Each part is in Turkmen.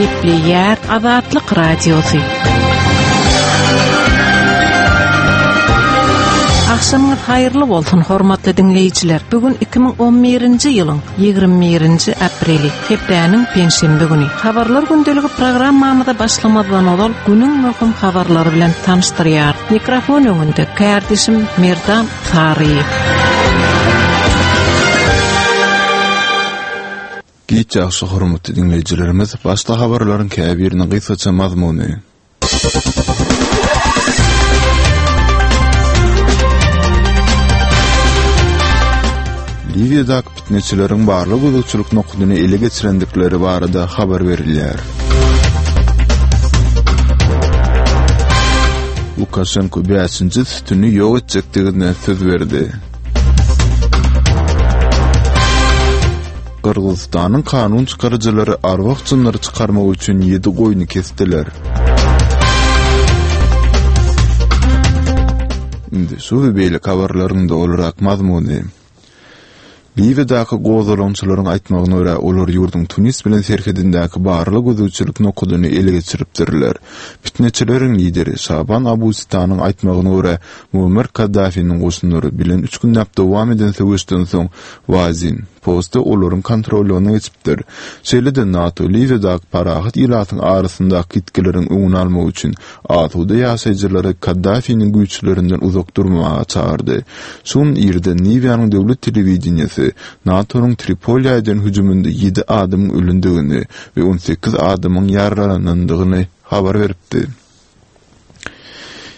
Gepleýär Azatlyk Radiosy. Agşamyňyz haýyrly bolsun, hormatly diňleýjiler! Bu gün 2011-nji ýylyň 21-nji apreli, hepdäniň penşenbe güni. Habarlar gündeligi programmamyza başlamazdan ozal günüň möhüm habarlary bilen tanyşdyrýar. Mikrofon öňünde kärdeşim Merdan Saryýew. Giç ýagşy hormatly diňleýjilerimiz, başda habarlaryň käbiriniň gysgaça mazmuny. Liwiýadaky pitneçileriň barlag-gözegçilik nokadyny ele geçirendikleri barada habar berilýär. Lukaşenko bäşinji sütüni ýok etjekdigine söz berdi. Gyrgyzystanyň kanun çykaryjylary arwah-jynlary çykarmak üçin ýedi goýny kesdiler. Indi şu we beýleki habarlaryň dolurak mazmuny. Liwiýadaky gozgalaňçylaryň aýtmagyna görä, olar ýurduň Tunis bilen serhedindäki barlag-gözegçilik nokadyny ele geçiripdirler. Pitneçileriň lideri Şaban Abu Sitanyň aýtmagyna görä, Muammar Kaddafiniň goşunlary bilen üç günläp dowam eden söweşden soň Wazin posty olaryň kontrollygyna geçipdir. Şeýle-de NATO Liwiýadaky parahat ilatyň arasyndaky ýitgileriň öňüni almak üçin asuda ýaşaýjylary Kaddafiniň güýçlerinden uzak durmaga çagyrdy. Şu gün irden Liwiýanyň döwlet telewideniýesi NATO-nyň Tripoliýa eden hüjüminde ýedi adamyň ölendigini we 18 adamyň ýaralanandygyny habar beripdi.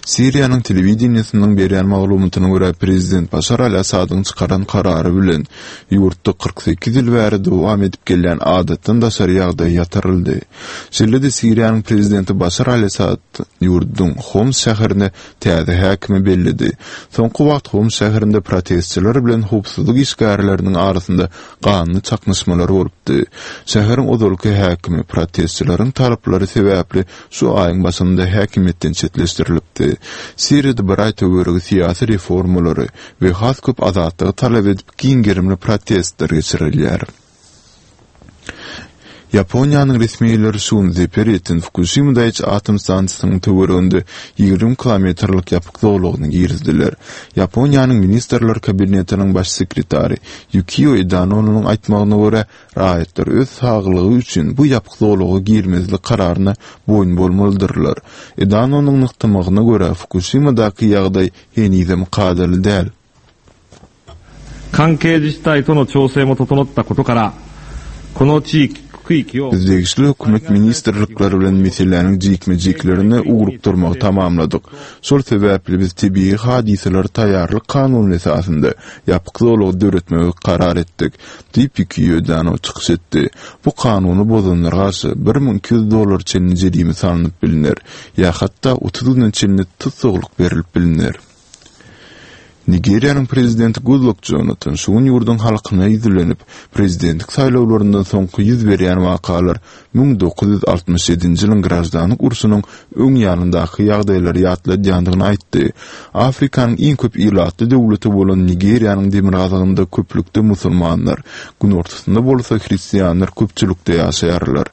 Siriýanyň telewideniýesiniň berýän maglumatyna görä, prezident Başar al-Assadyň çykaran karary bilen, ýurtda 48 ýyl bäri dowam edip gelýän adatdan daşary ýagdaý ýatyryldy. Şeýle-de Siriýanyň prezidenti Başar al-Assad ýurduň Homs şäherine täze häkimi belledi. Soňky wagt Homs şäherinde protestçiler bilen howpsuzlyk işgärleriniň arasynda ganly çaknyşmalar bolupdy. Şäheriň ozalky häkimi protestçileriň talaplary sebäpli şu aýyň başynda häkimiýetden çetleşdirilipdi. Siriýada bir aý töweregi syýasy reformalary we has köp azatlygy talap edip giň gerimli protestler geçirilýär. Ýaponiýanyň resmileri şu gün zeper ýeten Fukuşima Daýiçi atom stansiýasynyň töwereginde 20 kilometrlik ýapyk zolagyny girizdiler. Ýaponiýanyň Ministrler Kabinetiniň baş sekretary Ýukio Edanonyň aýtmagyna görä, Raýatlar öz saglygy üçin bu ýapyk zolaga girmezlik kararyna boýun bolmalydyrlar. Edanonyň nygtamagyna görä, Fukuşimadaky ýagdaý henizem kadaly däl. Biz degişli hökümet ministrlikleri bilen meseläniň jikme-jiklerine ugrukdyrmagy tamamladyk. Şol sebäpli biz tebigy hadysalara taýýarlyk kanuny esasynda ýapyk zolagy döretmegi karar etdik. Diýip, Ýukio çykyş etdi. Bu kanuny bozanlara garşy 1200 dollara çenli jerime salnyp bilner ýa hatda 30 güne çenli tussaglyk berlip bilner. Nigeriýanyň prezidenti Gudlak Jonatan şu gün ýurduň halkyna ýüzlenip, prezidentlik saýlawlaryndan soňky ýüz berýän wakalar 1967-nji ýylyň graždanlyk urşunyň öň ýanyndaky ýagdaýlary ýatladýandygyny aýtdy. Afrikanyň iň köp ilatly döwleti bolan Nigeriýanyň demirgazygynda köplükde musulmanlar, günortasynda bolsa hristianlar köpçülikde ýaşaýarlar.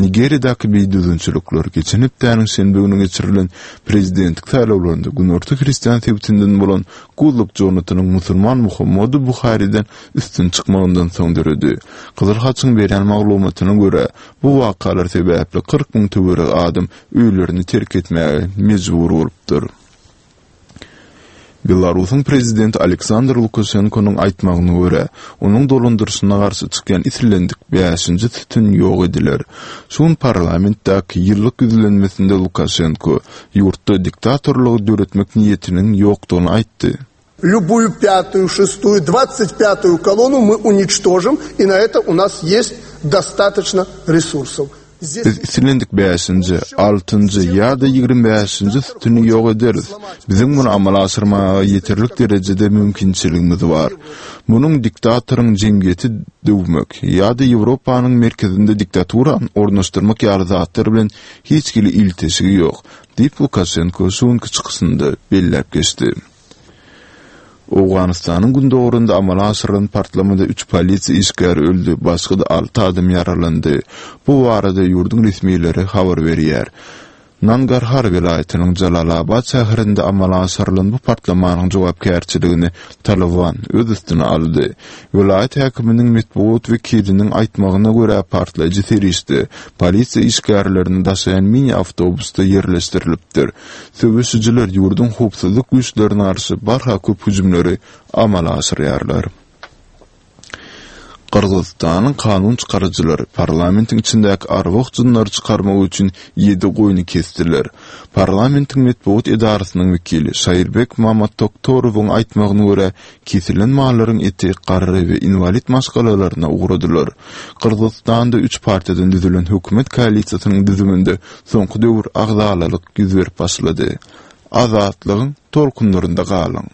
Nigeriýadaky bidüzgünçilikler geçen hepdäniň şenbe güni geçirilen prezidentlik saýlawlarynda günorta hristian sebitinden bolan Gudlak Jonatanyň musulman Muhammadu Buhariden üstün çykmagyndan soň döredi. Gyzyl Haçyň berýän maglumatyna görä, bu wakalar sebäpli 40 müň töweregi adam öýlerini terk etmäge mejbur bolupdyr. Belarusyň prezidenti Aleksandr Lukaşenkonyň aýtmagyna görä, onuň dolandyryşyna garşy çykýan islendik bäşinji sütün ýok ediler. Şu gün parlamentdäki ýyllyk ýüzlenmesinde Lukaşenko ýurtda diktatorlygy döretmek niýetiniň ýokdugyny aýtdy. Lýubuýu pýatuýu, şestuýu, dwadsat pýatuýu kolonu my uniçtožim i na eto u nas ýest dostatoçno resursow. Biz islendik bäşinji, altynjy ýa-da 25-nji sütüni ýok ederis. Biziň muny amala aşyrmaga ýeterlik derejede mümkinçiligimiz bar. Munuň diktatoryň jemgyýeti döwmek ýa-da Ýewropanyň merkezinde diktaturany ornaşdyrmak ýaly zatlar bilen hiç hili ilteşigi ýok, diýip, Lukaşenko şu günki çykyşynda belläp geçdi. Owganystanyň gündogarynda amala aşyrylan partlamada üç polisiýa işgäri öldi, başga-da alty adam ýaralandy. Bu barada ýurduň resmileri habar berýär. Nangarhar welaýatynyň Jalalabad şäherinde amala aşyrylan bu partlamanyň jogapkärçiligini Talyban öz üstüne aldy. Welaýat häkiminiň metbugat wekiliniň aýtmagyna görä, partlaýjy serişde polisiýa işgärlerini daşaýan mini awtobusda ýerleşdirilipdir. Söweşijiler ýurduň howpsuzlyk güýçlerine garşy barha köp hüjümleri amala aşyrýarlar. Gyrgyzystanyň kanun çykaryjylary parlamentiň içindäki arwah-jynlary çykarmak üçin ýedi goýny kesdiler. Parlamentiň metbugat edarasynyň wekili Şaýyrbek Mamattoktorowyň aýtmagyna görä, kesilen mallaryň eti garry we inwalid maşgalalaryna ugradylar. Gyrgyzystanda üç partiýadan düzülen hökümet koalisiýasynyň düzüminde soňky döwür agzalalyk ýüz berip başlady. Azatlygyň tolkunlarynda galyň!